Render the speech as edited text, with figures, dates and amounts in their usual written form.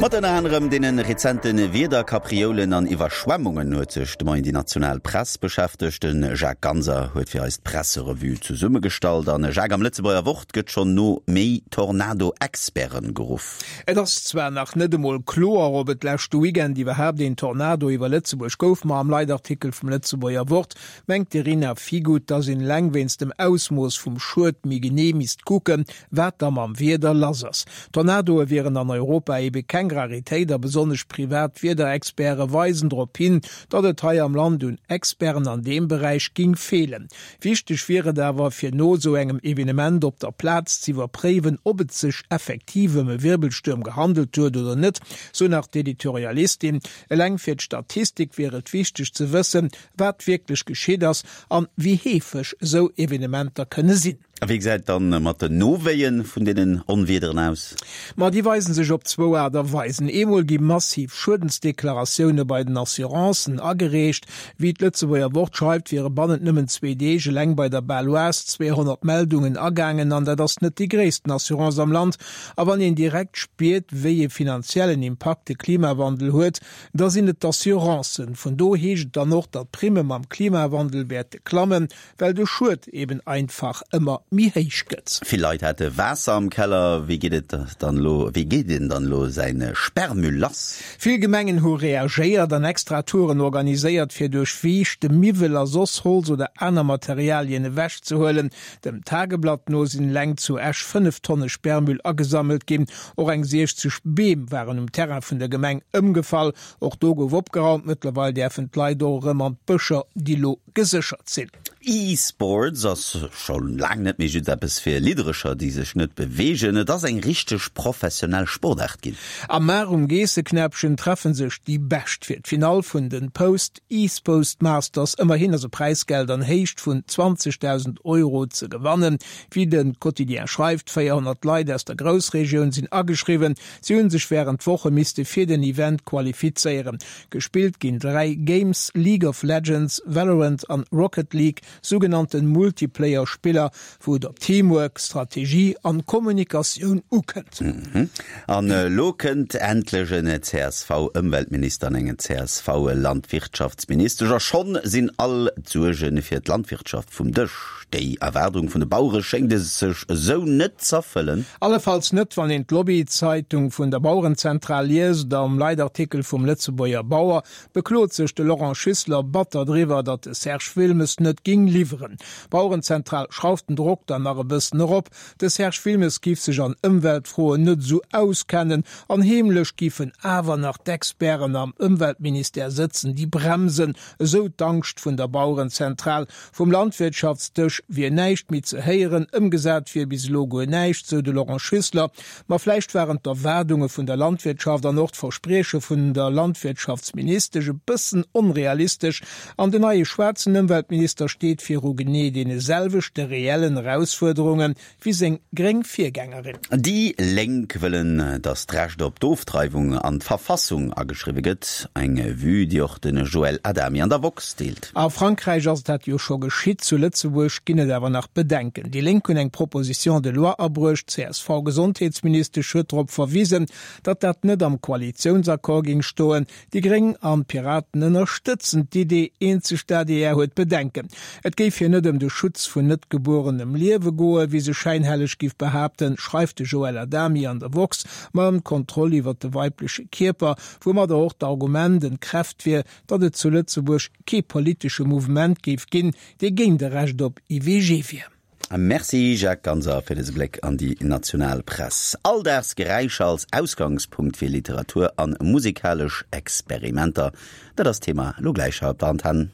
Mat ënner anerem deene rezente Wiederkaprioulen an Iwwerschwemmungen huet sech de Moien déi national Press beschäftegt. De Jacques Ganser huet fir eis d'Presserevue zesummegestallt. An Jacques, am Lëtzebuerger Wort gëtt schonn no méi Tornado-Experten geruff. Et ass zwar nach net emol kloer, ob et leschte Weekend iwwerhaapt een Tornado iwwer Lëtzebuerg gouf, ma am Leitartikel vum Lëtzebuerger Wort mengt d'Irina Figut, dass een eleng wéinst dem Ausmooss vum Schued méi genee misst kucken, wat da mam Wieder lass ass. Tornadoe wieren an Europa ebe keng Raritéit a besonnesch privat Wiederexperte weisen drop hin, datt et hei am Land un Experten an deem Beräich ging feelen. Wichteg wier et awer, fir no esou engem Evenement op der Plaz z'iwwerpréiwen, ob et sech effektiv ëm e Wirbelstuerm gehandelt huet oder net, sou nach d'Editorialistin. Eleng fir d'Statistik wier et wichteg ze wëssen, wat wierklech geschitt ass an wéi heefeg esou Evenementer kënne sinn. A wéi gesäit et dann mat den Nowéien vun deenen Onwiederen aus? Ma déi weisen sech op zwou Aart a Weisen. Eemol gi massiv Schuedensdeklaratioune bei den Assurancen agereecht. Wéi d'Lëtzebuerger Wort schreift, wiere bannent nëmmen zwee Deeg eleng bei der Baloise 200 Meldungen agaangen. An dat ass net déi gréissten Assurance am Land. A wann een direkt spiert, wéi ee finanziellen Impakt de Klimawandel huet, Da sinn et d'Assurancen. Vun do heescht et dann och, datt d'Primme mam Klimawandel wäerte klammen, well de Schued eben einfach ëmmer méi héich gëtt. Vill Leit hate Waasser am Keller. Wéi geet et dann elo, wéi geet een dann elo säi Sperrmüll lass? Vill Gemengen hu reagéiert an extra Touren organiséiert, fir duerch Viischt de Miwwel a soss Holz oder aner Materialien ewechzehuelen. Dem Tageblatt no sinn eleng zu Esch 5 Tonne Sperrmüll agesammelt ginn. Och eng 60 Beem waren um Terrain vun der Gemeng ëmgefall. Och do gouf opgeraumt. Mëttlerweil däerfen d'Leit och erëm an d'Bëscher, déi lo geséchert sinn. E-Sports ass scho laang net méi just eppes fir Lidderecher, déi sech net beweegen. Et ass eng richteg professionell Sportaart ginn. Am Mar um Geesseknäppchen treffe sech déi Bescht fir d'Finall vun den Post eSpost Masters. Ëmmerhin ass e Präisgeld an Héicht vun 20.000 Euro ze gewannen. Wéi de Quotidien schreift, 400 Leit aus der Groussregioun sinn ageschriwwen. Si hunn sech wärend Woche misste fir den Event qualifizéieren. Gespillt ginn 3 Games, League of Legends, Valorant an Rocket League, sougenannten Multiplayer-Spiller, wou et op Teamwork, Strategie an Kommunikatioun ukënnt. An elo kënnt endlech en CSV-Ëmweltminister an eng CSV-Landwirtschaftsministesch a schonn sinn all d'Suerge fir d'Landwirtschaft vum Dësch. Déi Erwaardung vun de Bauere schéngt sech esou net z'erfëllen. Allefalls net, wann een d'Lobbyzeitung vun der Bauerenzentral liest. Am Leitartikel vum Lëtzebuerger Bauer beklot sech de Laurent Schüssler batter driwwer, datt de Serge Wilmes net géing liwweren. D'Bauerenzentral schrauft den Drock dann nach e bëssen erop. De Serge Wilmes giff sech an Ëmweltfroen net esou auskennen an heemlech giffen awer nach d'Experten am Ëmweltministère sëtzen, déi bremsen, esou d'Angscht vun der Bauerenzentral. Vum Landwirtschaftsdësch wier näischt méi ze héieren, ëmgesat wier bis elo guer näischt, sou de Laurent Schüssler. Ma vläicht waren d'Erwaardunge vun der Landwirtschaft an och d'Versprieche vun der Landwirtschaftsministesch e bëssen onrealistesch an den neie schwaarzen Ëmweltminister steet viru genee deene selwechte reellen Erausfuerderunge wéi seng gréng Virgängerin. Déi Lénk wëllen, datt d'Recht op d'Ofdreiwung an d'Verfassung ageschriwwe gëtt. Eng Vue, déi och de Joël Adami an der woxx deelt. A Frankräich ass dat jo scho geschitt, zu Lëtzebuerg ginn et awer nach Bedenken. Déi Lénk hunn eng Proposition de loi abruecht, d'CSV-Gesondheetsministesch huet drop verwisen, datt dat net am Koalitiounsaccord géing stoen. Déi Gréng an d'Piraten ënnerstëtzen d'Idee, eenzeg d'ADR huet Bedenken. Et géif hir net ëm de Schutz vun net gebuerenem Liewe goen, wéi se schäinhelleg giff behaapten, schreift de Joël Adami an der woxx, ma ëm d'Kontroll iwwer de weibleche Kierper, woumadder och d'Argument entkräft wier, datt et zu Lëtzebuerg kee politesche Mouvement géif ginn, dee géint e Recht op IVG wier. Merci Jacques Ganser fir dëse Bléck an déi national Press. Alldagsgeräischer als Ausgangspunkt fir Literatur an musikalesch Experimenter, dat ass d'Thema elo gläich hei op der Antenn.